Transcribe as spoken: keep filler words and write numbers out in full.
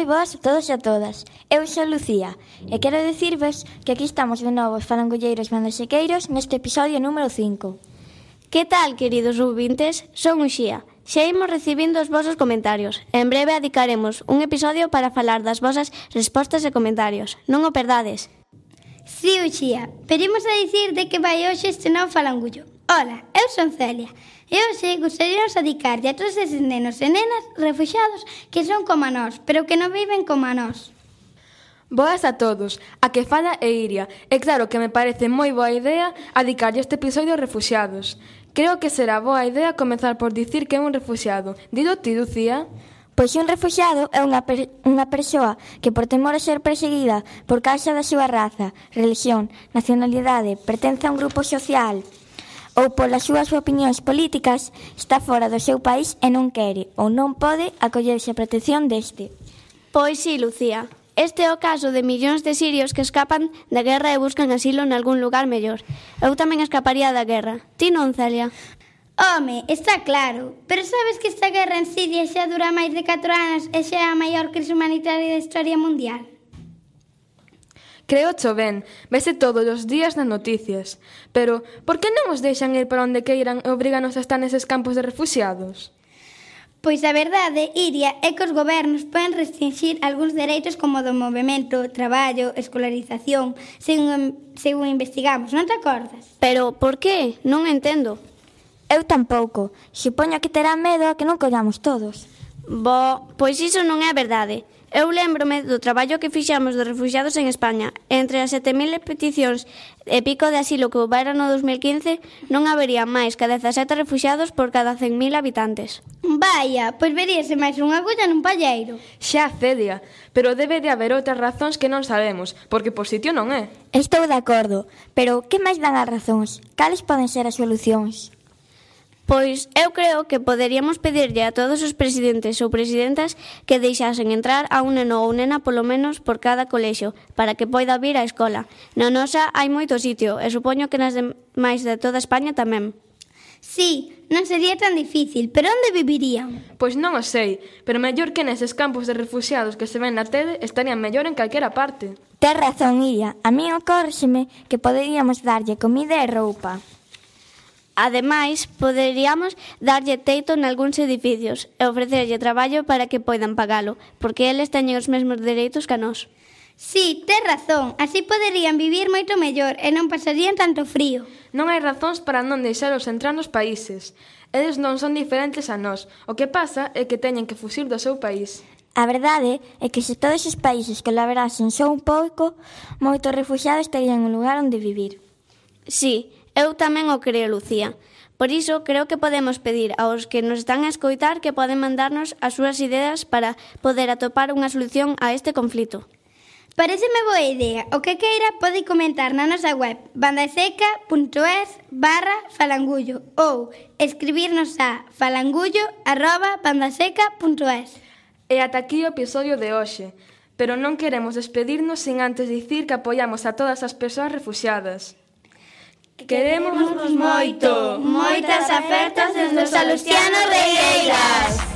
Moi boas a todos e a todas. Eu sou Lucía e quero dicirvos que aquí estamos de novo os falangulleiros bandasequeiros neste episodio número cinco. Que tal, queridos ouvintes? Son Uxía. Xa imos recibindo os vosos comentarios. En breve dedicaremos un episodio para falar das vosas respostas e comentarios. Non o perdades. Si, Uxía, pero imos a dicir de que vai hoxe este novo falangullo. Ola, eu son Celia. E hoxe gostaríamos a dedicarlle a todos eses nenos e nenas refuxiados que son como a nós, pero que non viven como a nós. Boas a todos, a que fala é Iria. E claro que me parece moi boa idea dedicarlle este episodio aos refuxiados. Creo que será boa idea comezar por dicir que é un refuxiado. Dilo ti, Lucía. Pois un refuxiado é unha, per unha persoa que por temor a ser perseguida por causa da súa raza, religión, nacionalidade, pertence a un grupo social ou polas súas opinións políticas está fora do seu país e non quere ou non pode acollerse a protección deste. Pois sí, Lucía. Este é o caso de millóns de sirios que escapan da guerra e buscan asilo en algún lugar mellor. Eu tamén escaparía da guerra. Ti non, Celia? Home, está claro. Pero sabes que esta guerra en Siria xa dura máis de catro anos e xa é a maior crise humanitaria da historia mundial? Creo cho ben, vese todos os días nas noticias. Pero, por que non os deixan ir para onde queiran e obriganos a estar neses campos de refuxiados? Pois a verdade, Iria, é que os gobernos poden restringir algúns dereitos como o do movimento, traballo, escolarización, según, según investigamos, non te acordas? Pero, por que? Non entendo. Eu tampouco. Supoño que terá medo a que non collamos todos. Bo, pois iso non é verdade. Eu lémbrome do traballo que fixamos dos refuxiados en España. Entre as sete mil peticións e pico de asilo que houbera no dos mil quince, non habería máis que dezasete refuxiados por cada cen mil habitantes. Vaya, pois veríase máis unha agulla nun palleiro. Xa, Celia, pero debe de haber outras razóns que non sabemos, porque por sitio non é. Estou de acordo, pero que máis dan as razóns? Cales poden ser as solucións? Pois eu creo que poderíamos pedirlle a todos os presidentes ou presidentas que deixasen entrar a un neno ou nena polo menos por cada colexio para que poida vir á escola. Na nosa hai moito sitio e supoño que nas demais de toda España tamén. Sí, non sería tan difícil, pero onde vivirían? Pois non o sei, pero mellor que neses campos de refuxiados que se ven na tele estarían mellor en calquera parte. Tes razón, Iria. A mí ocórrexeme que poderíamos darlle comida e roupa. Ademais, poderíamos darlle teito nalgúns edificios e ofrecerlle traballo para que poidan pagalo, porque eles teñen os mesmos dereitos que a nós. Sí, tes razón, así poderían vivir moito mellor e non pasarían tanto frío. Non hai razóns para non deixalos entrar nos países. Eles non son diferentes a nós. O que pasa é que teñen que fuxir do seu país. A verdade é que se todos os países colaborasen só un pouco, moitos refuxiados terían un lugar onde vivir. Sí, eu tamén o creo, Lucía. Por iso, creo que podemos pedir aos que nos están a escoitar que poden mandarnos as súas ideas para poder atopar unha solución a este conflito. Pareceme boa idea. O que queira pode comentar na nosa web bandaseca.es barra falangullo ou escribirnos a falangullo arroba bandaseca.es. E ata aquí o episodio de hoxe. Pero non queremos despedirnos sin antes dicir que apoiamos a todas as persoas refuxiadas. Queremos moito. Moitas apertas desde os Salustianos Regueiras.